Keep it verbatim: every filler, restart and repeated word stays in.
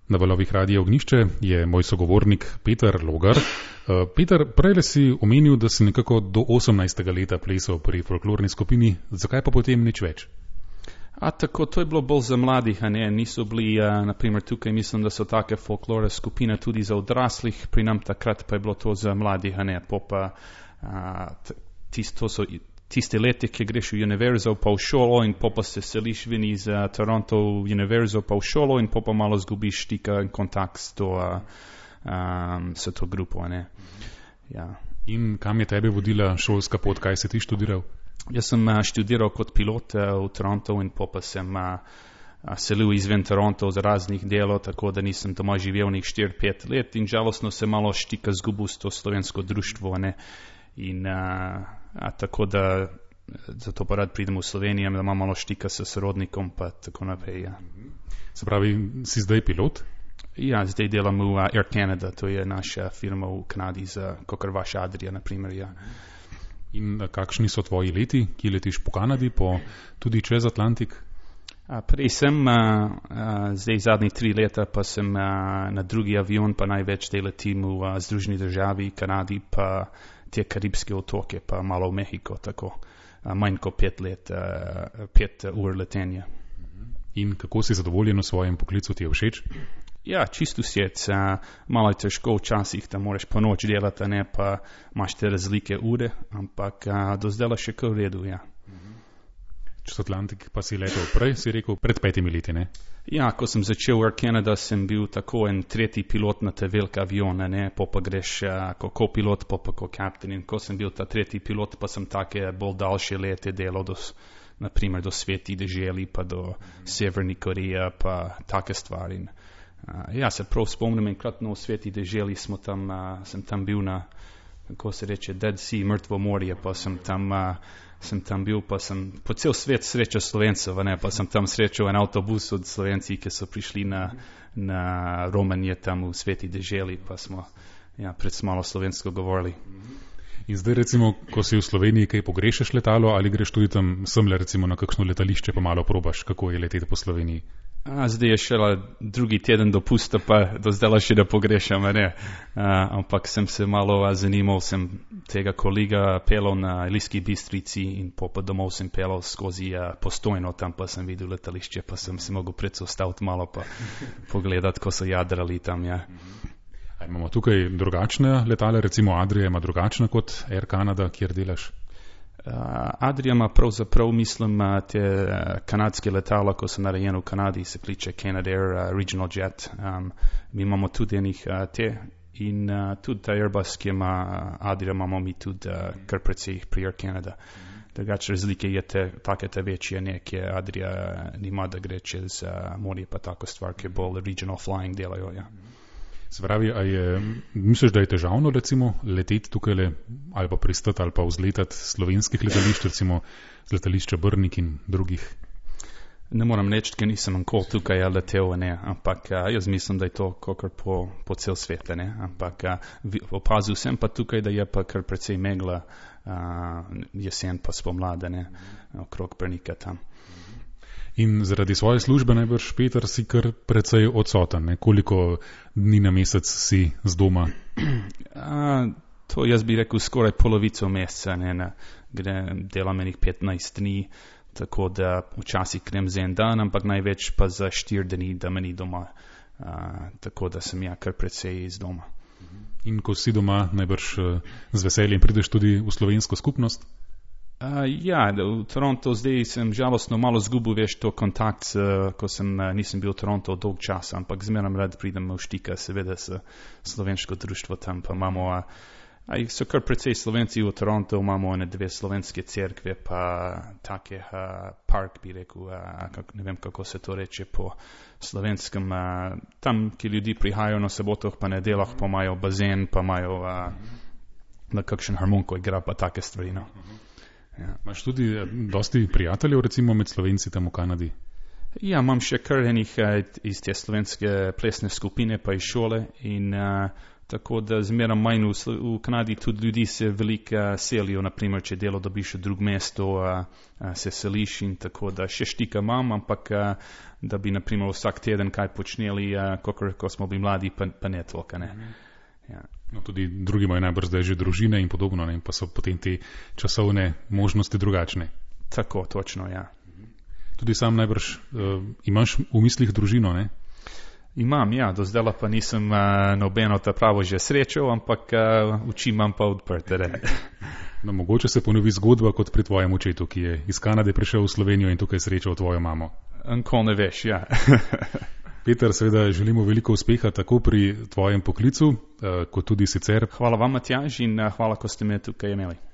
Na valovih Radia Ognjišče je moj sogovornik Peter Logar. Peter, prej si omenil, da si nekako do osemnajstega leta plesal pri folklorni skupini, zakaj pa potem nič več? A tako, to je bilo bolj za mladih, a ne, niso bili, uh, naprimer tukaj mislim, da so take folklore skupine tudi za odraslih, pri nam takrat pa je bilo to za mladih, a ne, popa, uh, tisto so tiste leti, ki greš v univerzo pa v šolo in popa se seliš ven iz uh, Toronto v univerzo pa v šolo in popa malo zgubiš stika in kontakt s to, uh, um, s to grupo, a ne. Ja. In kam je tebe vodila šolska pot, kaj si ti študiral? Jaz sem uh, študiral kot pilot uh, v Toronto in popa sem uh, uh, selil izven Toronto z raznih delov, tako da nisem doma živel nek štiri pet let in žalostno se malo štika zgubil s to slovensko društvo, a ne. In uh, a tako da zato pa rad pridem v Slovenijo, da imam malo štika s sorodnikom pa tako naprej, ja. Se pravi, si zdaj pilot? Ja, zdaj delam v uh, Air Canada, to je naša firma v Kanadi za kakor vaš Adria, naprimer, ja. In kakšni so tvoji leti, ki letiš po Kanadi, po tudi čez Atlantik? A, prej sem, a, a, zdaj zadnji tri leta pa sem a, na drugi avion, pa največ te letim v a, Združeni državi, Kanadi, pa te karibske otoke, pa malo v Mehiko, tako a, manj kot pet let, a, pet ur letenja. In kako si zadovoljen v svojem poklicu, ti je všeč? Ja, čisto sjec, a, malo je težko včasih, da moraš po noč delati, ne, pa imaš te razlike ure, ampak a, do zdaj še kar v redu, ja. Čez Atlantik pa si letel prej, si rekel, pred petimi leti, ne? Ja, ko sem začel Air Canada, sem bil tako en tretji pilot na te velike avione, ne, pa pa greš uh, kot kopilot, pa pa kot kapten. In ko sem bil ta tretji pilot, pa sem take bolj daljše lete delal, do, naprimer do Sveti deželi, pa do Severni Koreje, pa take stvari. Uh, ja, se prav spomnim, enkrat no v Sveti deželi smo tam, uh, sem tam bil na, kako se reče, Dead Sea, mrtvo morje, pa sem tam... Uh, sem tam bil, pa sem po cel svet srečal Slovencev, ne, pa sem tam srečal en avtobus od Slovenci, ki so prišli na, na Romanje tam v Sveti deželi, pa smo ja, pred malo slovensko govorili. In zdaj recimo, ko si v Sloveniji, kaj pogrešaš letalo ali greš tudi tam semle recimo na kakšno letališče, pa malo probaš, kako je leteti po Sloveniji? A, zdaj je šele drugi teden dopusta, pa do zdaj še da pogrešam, ne. A, ampak sem se malo a, zanimal, sem tega kolega pelal na Ilirski Bistrici in po, po domov sem pelal skozi a, Postojno, tam pa sem videl letališče, pa sem se mogel predstaviti malo pa pogledati, ko so jadrali tam, ja. A imamo tukaj drugačne letale, recimo Adria ima drugačna kot Air Canada, kjer delaš? Uh, Adria ima pravzaprav, mislim, uh, te uh, kanadske letala, ko so narejene v Kanadi, se kliče Canadair uh, Regional Jet. Um, mi imamo tudi enih uh, te in uh, tudi ta Airbus, ki ima uh, Adria, imamo mi tudi uh, kar precej pri Air Canada. Drugače razlike je te, take te večje, ne, ki Adria uh, nima, da gre čez uh, morje, pa tako stvar, ki bolj regional flying delajo, ja. Se pravi, a je, misliš, da je težavno recimo leteti tukaj le, ali pa pristati ali pa vzletati slovenskih letališč, recimo z letališča Brnik in drugih? Ne moram reči, ker nisem nikoli tukaj letel, ne, ampak a, jaz mislim, da je to kakor po, po cel svet, ne, ampak a, opazil sem pa tukaj, da je pa kar precej megla a, jesen pa spomlada, ne, okrog Brnika tam. In zaradi svoje službe najbrž, Peter, si kar precej odsoten, ne? Koliko dni na mesec si z doma? A, to jaz bi rekel skoraj polovico meseca, ne, ne, gre, delam enih petnajst dni, tako da včasih grem za en dan, ampak največ pa za štiri dni, da me ni doma, a, tako da sem ja kar precej iz doma. In ko si doma, najbrž z veseljem prideš tudi v slovensko skupnost? Uh, ja, v Toronto zdaj sem žalostno malo zgubil, veš, to kontakt, uh, ko sem, uh, nisem bil v Toronto dolg čas, ampak zmeram rad pridem v štika, seveda s slovensko društvo tam, pa imamo, uh, a so kar precej Slovenci v Toronto, imamo ene dve slovenske cerkve, pa take uh, park, bi rekel, uh, kak, ne vem, kako se to reče po slovenskem, uh, tam, ki ljudi prihajajo na sobotoh, pa nedelah, pa imajo bazen, pa imajo uh, na kakšen harmoniko igra, pa take stvari, no. Ja. Imaš tudi dosti prijateljev, recimo med Slovenci tam v Kanadi? Ja, imam še kar enih iz te slovenske plesne skupine, pa iz šole in uh, Tako da zmeraj manj v, v Kanadi tudi ljudi se veliko selijo, naprimer, če delo dobiš v drug mesto, a, a, se seliš in tako da še štika imam, ampak a, da bi naprimer vsak teden kaj počneli, kakor ko smo bili mladi, pa, pa ne toliko, ne. Ja. No, tudi drugi imajo najbrž zdaj že družine in podobno, ne, pa so potem te časovne možnosti drugačne. Tako, točno, ja. Tudi sam najbrž uh, imaš v mislih družino, ne? Imam, ja, do zdaj pa nisem uh, nobeno ta pravo že srečal, ampak uh, oči imam pa odprte. No, mogoče se ponovi zgodba kot pri tvojem očetu, ki je iz Kanade prišel v Slovenijo in tukaj srečal tvojo mamo. Anko ne veš, ja. Peter, seveda želimo veliko uspeha tako pri tvojem poklicu, uh, kot tudi sicer. Hvala vam, Matjaž, in uh, hvala, ko ste me tukaj imeli.